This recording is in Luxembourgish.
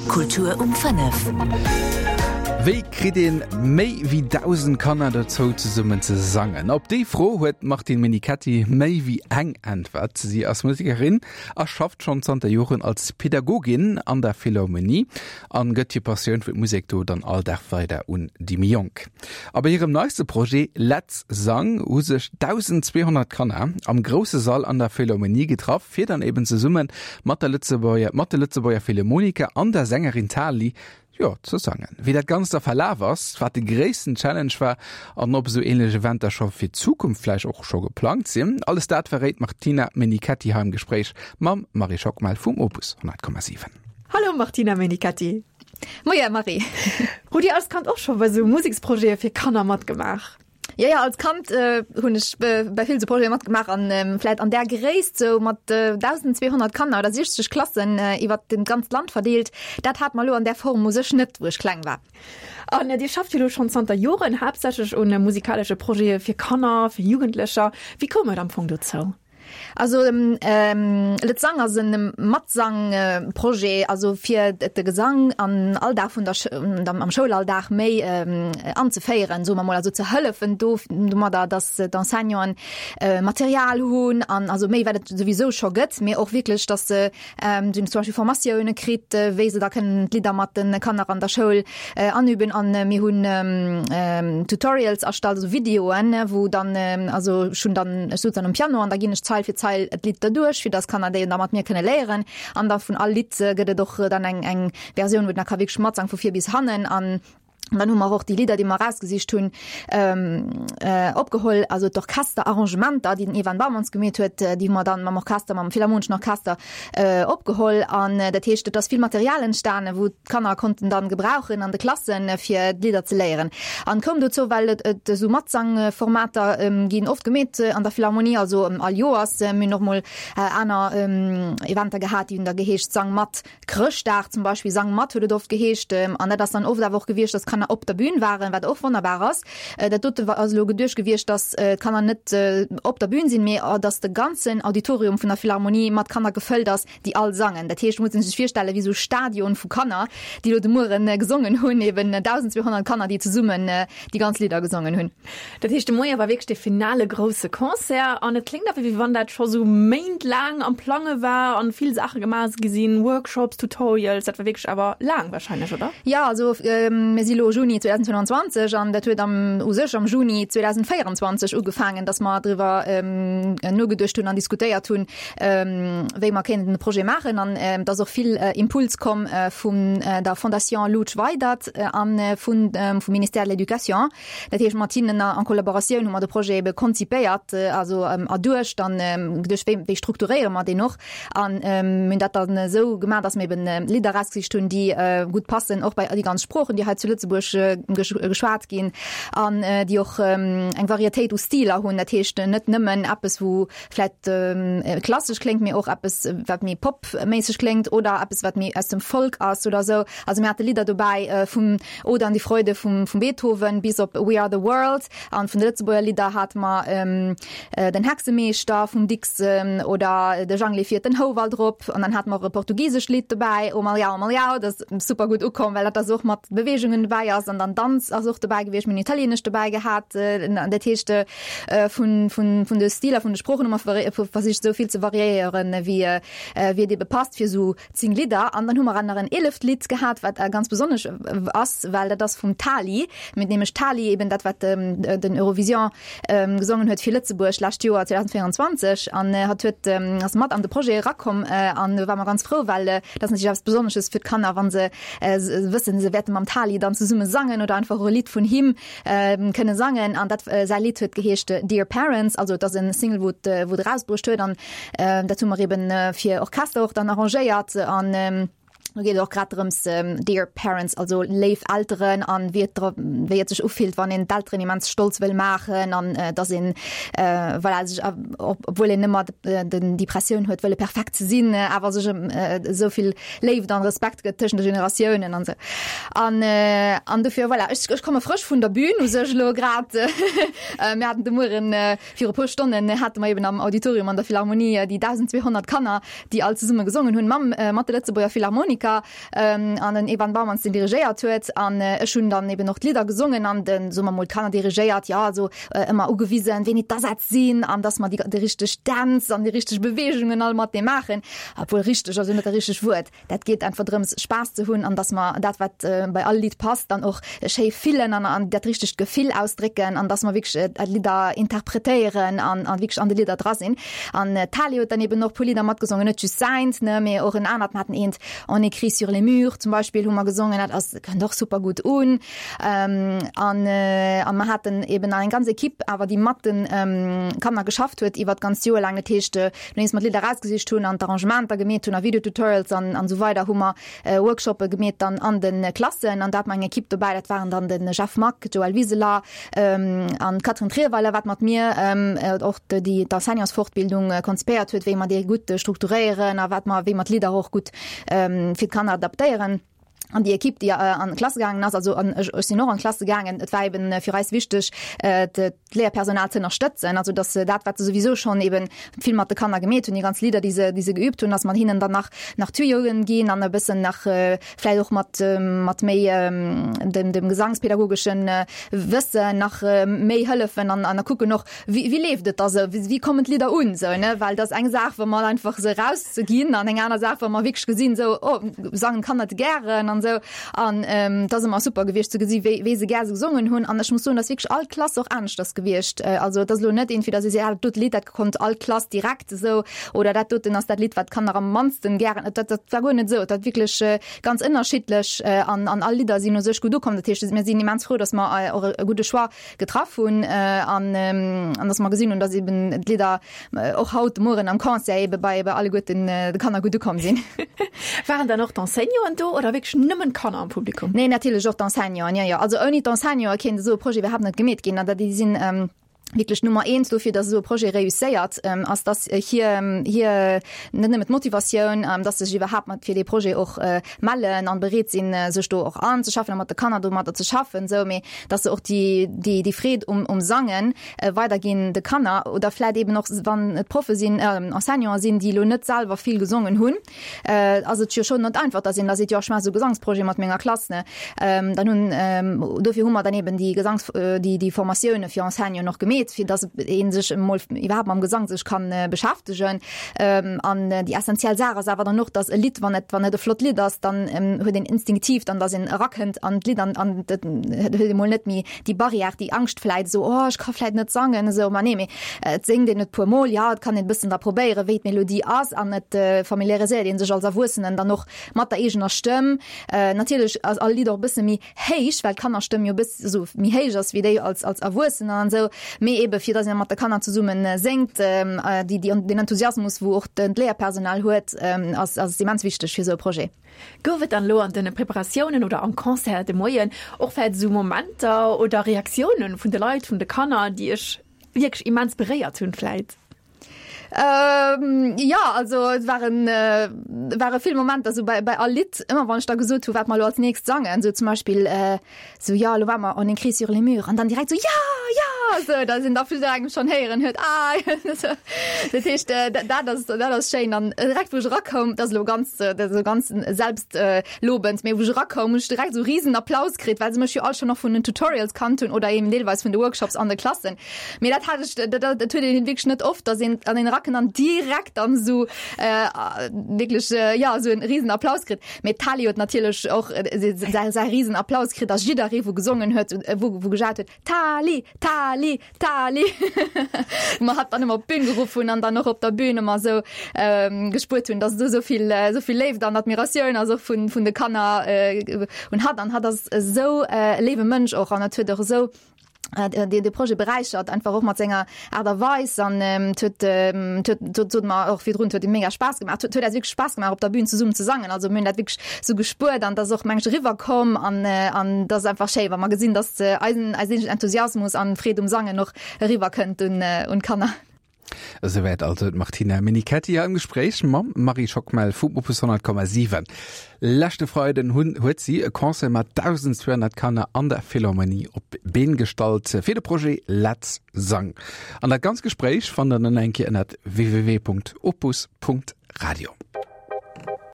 Kultur um 5. Wéi kritt een méi wéi 1.000 Kanner dozou zesummen ze sangen? Op déi Fro huet d'Martine Menichetti méi wéi eng Äntwert. Si ass Musekerin a schafft schonn zanter Joren als Pedagogin an der Philharmonie an gëtt hir Passioun fir d'Musek do dann all Dag weider un déi méi Jonk. A bei hirem neiste Projet Let's Sang hu sech 1.200 Kanner am grousse Sall an der Philharmonie getraff, fir dann eben zesumme mat der Lëtzebuerger, mat de Lëtzebuerger Philharmoniker an der Sängerin Tali, jo, ze sangen. Wéi dat Ganzt da verlaf ass, wat de gréissten Challenge war an ob esou ähnlech Eventer scho fir d'Zukunft vläicht och scho geplangt sinn, alles dat verréit d'Martina Menichetti hei am Gespréich mam Marie Schockmel vum Opus 100,7. Hallo Martina Menichetti. Moie Marie. Hutt Dir als Kand och scho bei sou Museksprojete fir Kanner matgemaach? Jo, jo, als Kand hunn ech bei vill sou Projete matgemaach an vläit an där Gréisst sou mat 1.200 Kanner oder 60 Klassen iwwert den ganzt Land verdeelt, dat hat mer elo an där Form u sech net, wou ech kleng war. An Dir schafft jo elo schonn zanter Joren haaptsächlech un musikalesche Projete fir Kanner, fir Jugendlecher. Wéi koum et am Fong dozou? Also Let's Sang ass e Matsang-Projet, also fir de Gesang an Alldag vun der am Schoulalldag méi anzeféieren, soe mer mol, also ze hëllefen do domadder, datt d'Enseignanten Material hunn an also méi wat et souwisou scho gëtt, mee och wierklech, datt se Si hunn zum Beispill Formatioune kritt, wéi se da kënnen d'Lidder mat de Kanner an der Schoul anüben. An mir hunn Tutorials erstallt, also Videoen, wou dann, also ech hunn dann, ech souz dann um Piano an da ginn ech Zeil fir Zeil d'Lidd derduerch, fir dass d'Kanner déi da mat mir kënne léieren. An da vun all Lidd gëtt et och dann eng eng Versioun, wou den da ka wierklech matsang vu vir bis hannen. An dann hu mer och déi Lidder, déi mer erausgesicht hunn, opgeholl, also d'Orchesterarrangementer, déi den Ivan Baumanns gemeet huet, déi hu mer dann mam Orchester, mam Philharmoneschen Orchester opgeholl. An dat heescht, et ass vill Material entstanen, wou d'Kanner konnten dann gebrauchen an de Klassen, fir d'Lidder ze léieren. An koum dozou, well et esou Matsangformater ginn oft gemeet an der Philharmonie, also all Joers. Mir hunn och mol aner Eventer gehat, déi hunn da geheescht Sang mat. Chrëschtdag zum Beispill, Sang mat huet et oft geheescht. An dat ass dann oft awer och gewiescht, dass d'Kanner op der Bühn waren, wat och wonnerbar ass. Dat dote ass elo geduecht gewiescht, dass d'Kanner net op der Bühn sinn, mee dass de ganzen Auditorium vun der Philharmonie mat Kanner gefëllt ass, déi all sangen. Dat heescht, muss een sech virstellen, wéi esou Stadion vu Kanner, déi elo de Mueren gesongen hunn, eben 1.200 Kanner, déi zesummen déi ganz Lidder gesongen hunn. Dat heescht, de Moie war wierklech de finale grousse Concert an et kléngt awer, wéi wann dat scho sou méintlaang am Plange war an vill Saache gemaach gi sinn, Workshops, Tutorials, dat war wierklech awer laang warscheinlech, oder? Jo, also mir si lo Juni 2025 an dat huet am u sech am Juni 2024 ugefaangen, datt mer driwwer nogeduecht hunn an diskutéiert hunn, wéi mer kéinten de Projet maachen. An et ass och vill Impuls komm vun der Fondation Loutsch Weydert a vun vum Ministère de l'Éducation. Dat heescht, mat hinnen an Kollaboratioun hu mer de Projet ebe konzipéiert, also erduecht an geduecht, wéi wéi strukturéiere mer deen och. An mir hunn dat dann esou gemaach, datt mir eben Lidder erausgesicht hunn, déi gutt passen, och bei déi ganz Sproochen, déi hei zu Lëtzebuerg geschwat ginn an déi och eng Varietéit u Stiler hunn. Dat heescht net nëmmen eppes, wou vläit klassesch kléngt, mee och eppes, wat méi popméisseg kléngt oder eppes, wat méi aus dem Folk ass oder esou. Also mir hate Lidder dobäi vum Ode an die Freude vum vum Beethoven bis op We are the World an vun de Lëtzebuerger Lidder hate mer Den Hexemeeschter vum Dicks oder De Jangli fiert den Houwald rop an dann hate mer och e portugisescht Lidd dobäi, O Malhão, Malhão, dat ass super gutt ukomm, well dat da sou och mat Beweegungen dobäi ass an dann Danz ass och dobäi gewiescht, mir hunn Italienesch dobäi gehat, dat heescht vun vun vun de Stiler vun de Sproochen hu mer versicht esou vill ze variéieren wéi wéi et ebe passt fir esou 10 Lidder. An dann hu mer nach en eeleft Lidd gehat, wat ganz besonnesch ass, well dat ass vum Tali, mit nämlech Tali eben dat wat den Eurovision gesongen huet fir Lëtzebuerg lescht Joer 2024 an hatt huet ass mat an de Projet erakomm an do ware mer ganz frou, well dat ass natierlech eppes Besonnesches fir d'Kanner, wa se wëssen, se wäerte mam Tali dann zesumme sangen oder einfach och e Lidd vun him kënne sangen an dat säi Lidd huet geheescht Dear Parents, also et ass e Single wou et wou et erausbruecht huet an dat hu mer eben fir Orchester och dann arrangéiert an do geet et och grad drëms Dear Parents, also léif Elteren an wéi et wéi et sech ufillt, wann een d'Elteren immens stolz wëll maachen an dass een voilà sech obwuel een ëmmer den déi Pressioun huet wëlle perfekt ze sinn, awer sech esou vill Léift an Respekt gëtt tëschent de Generatiounen an sou. An, äh, an dofir, voilà, ech, ech komme frësch vun der Bühn u sech elo grad. Äh, mir haten de Mueren, äh, viru puer Stonnen hate mer eben am Auditorium an der Philharmonie äh, déi 1.200 Kanner, déi all zesumme gesongen hunn mam, äh, mat de Lëtzebuerger Philharmoniker. Museker an den Evan Baumanns, deen dirigéiert huet. An ech hunn dann eben och d'Lidder gesongen an den, soe mer mol, d'Kanner dirigéiert, jo, also ëmmer ugewisen, wéini d'Asätz sinn an dass mer déi, déi richteg Dänz an déi richteg Beweegungen all matenee maachen. Obwuel richteg ass jo net dat richtegt Wuert. Dat geet einfach drëms, Spaass ze hunn an dass mer dat, wat bei all Lidd passt, dann och schéi fillen an an dat richtegt Gefill ausdrécken an dass mer wierklech d'Lidder interpretéieren an an wierklech an de Lidder dra sinn. An d'Tali huet dann eben och e puer Lidder matgesongen, net just säint, ne, mee och en anert. Mer haten eent On écrit sur les murs zum Beispill hu mer gesongen, dat ass, kënnt och super gutt un. An an mer haten eben nach eng ganz Equipe awer, déi mat de Kanner geschafft huet iwwer d'ganzt Joer laang. Dat heescht, nodeems mer d'Lidder erausgesicht hunn an d'Arrangementer gemeet hunn a Videotutorials an an esou weider, hu mer Workshoppe gemeet dann an de Klassen an do hat mer eng Equipe dobäi, dat waren dann de Jeff Mack, d'Joëlle Wiseler an d'Catherine Trierweiler, wat mat mir och déi d'Enseignantsfortbildung konzipéiert huet, wéi mer déi gutt strukturéieren a wat mer, wéi mer d'Lidder och gutt fir d'Kanner adaptéieren. An déi Equipe, déi an d'Klasse gaangen ass, also an ech, ech sinn och an d'Klasse gaangen, et war eben fir eis wichteg, d'Léierpersonal ze ënnerstëtzen, also dass se dat, wat se souwisou schonn eben vill mat de Kanner gemeet hunn, déi ganz Lidder, déi se, déi se geübt hunn, dass mer hinnen dann nach, nach Tuyauxen ginn an e bëssen nach vläicht och mat, mat méi dem, dem gesangspädagogeschen Wëssen nach méi hëllefen an, an da kucken och, Wéi, wéi leeft et da sou? Wéi, wéi kommen d'Lidder un sou, ne? Well dat ass eng Saach, wa mer einfach se erauszeginn an eng aner Saach, wa mer wierklech gesinn sou, oh, sangen d'Kanner et gären an sou. An et ass ëmmer super gewiescht ze gesi wéi, wéi se gär se gesongen hunn. An ech muss soen, dass wierklech all Klass och aneschters gewiescht. Also et ass elo net iergendwéi, dass ee seet, ah, dat dote Lidd, dat konnt all Klass direkt esou oder dat doten ass dat Lidd, wat d'Kanner am mannsten gären. Dat, dat war guer net esou. Et war wierklech ganz ënnerschiddlech an, an all Lidder sinn u sech gutt ukomm. Dat heescht, mir sinn immens frou, dass mer och e gudde Choix getraff hunn an an dass mer gesinn hunn, dass eben d'Lidder och haut de Mueren am Concert ebe bei bei alleguerten de Kanner gutt ukomm sinn. Waren dann och d'Enseignanten do oder wierklech nëmmen d'Kanner am Publikum? Nee, natierlech och d'Enseignanten, jo, jo. Also ouni d'Enseignanten kéint esou e Projet iwwerhaapt net gemeet ginn. An déi sinn wierklech Nummer eent dofir, dass esou e Projet reusséiert, ass, dass hir hir net nëmmen d'Motivatioun, dass se sech iwwerhaapt mat fir dee Projet och mellen an bereet sinn, sech do och anzeschaffen a mat de Kanner domadder ze schaffen, esou, mee dass se och déi, déi, déi Freed um, um Sangen weiderginn de Kanner oder vläit eben och, wann et Proffe sinn, Enseignanten sinn, déi elo net selwer vill gesongen hunn, ass et jo schonn net einfach, dass een da seet, jo ech maache sou e Gesangsprojet mat menger Klass, ne. Dann hunn, dofir hu mer dann eben déi Gesangs-, déi, déi Formatioune fir Enseignanten och gemeet, fir dass ee sech emol iwwerhaapt mam Gesang sech kann beschäftegen. An déi essentiell Saach ass awer dann och, dass e Lidd, wann et, wann et e flott Lidd ass, dann huet een instinktiv dann, dass een erakënnt an d'Lidd an, an et huet ee mol net méi déi Barrière, déi Angscht vläit esou, oh ech ka vläit net sangen esou. Ma nee, mee et séngt een et puer Mol, jo, et kann een e bëssen da probéieren, wéi d'Melodie ass an et familiariséiert ee sech als Erwuessenen dann och mat der eegener Stëmm. Natierlech ass all Lidd och e bësse méi héich, well d'Kannerstëmm jo e bëss esou méi héich ass wéi déi als als Erwuessener an esou, mee ebe fir dass een mat de Kanner zesummen séngt, déi déi den Enthusiasmus wou och den d'Léierpersonal huet, ass ass immens wichteg fir esou e Projet. Gouf et dann elo an den Preparatiounen oder am Concert de Moien och vläit esou Momenter oder Reaktiounen vun de Leit, vun de Kanner, déi iech wierklech immens beréiert hunn vläit? Ähm, ja, also et waren, äh, ware vill Momenter so bei, bei all Lidd, ëmmer wann ech da gesot hu wat mer lo als nächst sangen, so zum Beispill äh, so ja lo war mer on écrit sur les murs an dann direkt so ja ja so da sinn da vill engem schon héieren huet ah so, dat heescht äh, dat ass dat ass schéin an direkt wou ech erakoum, dat ass lo ganz äh, dat ass lo ganz selbst äh, lobend, mee wou ech erakoum hunn ech direkt so riesen Applaus kritt, well se mech jo all schon nach vun den Tutorials kannt hunn oder eben deelweis vun de Workshops an de Klassen. Mee dat hat ech, dat, dat huet een wierklech net oft, dass een an den Racken dann direkt dann esou äh, wierklech äh, ja esou en riesen Applaus kritt. Mee d'Tali huet natierlech och äh, säi, säi riesen Applaus kritt, dass jidderee wou gesongen huet, äh, wou, wou gejat huet, Tali, Tali, Tali. Wou mer hatt dann ëmmer op d'Bün geruff hunn an dann och op der Bühn ëmmer esou ähm, gespuert hunn, dass do esou vill, äh, esou vill Léift an Admiratioun ass och vun, vun de Kanner äh, un hatt. An hatt ass esou äh, e léiwe Mënsch och an et huet och esou deen de Projet beräichert, einfach och mat senger Aart a Weis an et huet, et huet, et sot mer och virdrun, et huet him mega Spaass gemaach. Et huet eis wierklech Spaass gemaach op der Bühn zesummen ze sangen. Also mir hunn dat wierklech sou gespuert an et ass och meng ech eriwwer komm an an et ass einfach schéi wa mer gesinn, datt eisen eis eegenen Enthusiasmus an Freed um Sangen och eriwwer kënnt un un d'Kanner. Esouwäit also d'Martina Menichetti am Gespréich mam Marie Schockmel vum Opus 100,7. Leschte Freiden hunn huet si e Concert mat 1.200 Kanner an der Philharmonie op d'Been gestallt fir de Projet Let's Sang. An dat ganz Gespréich fannt der dann eng Kéier ënnert www.opus.radio.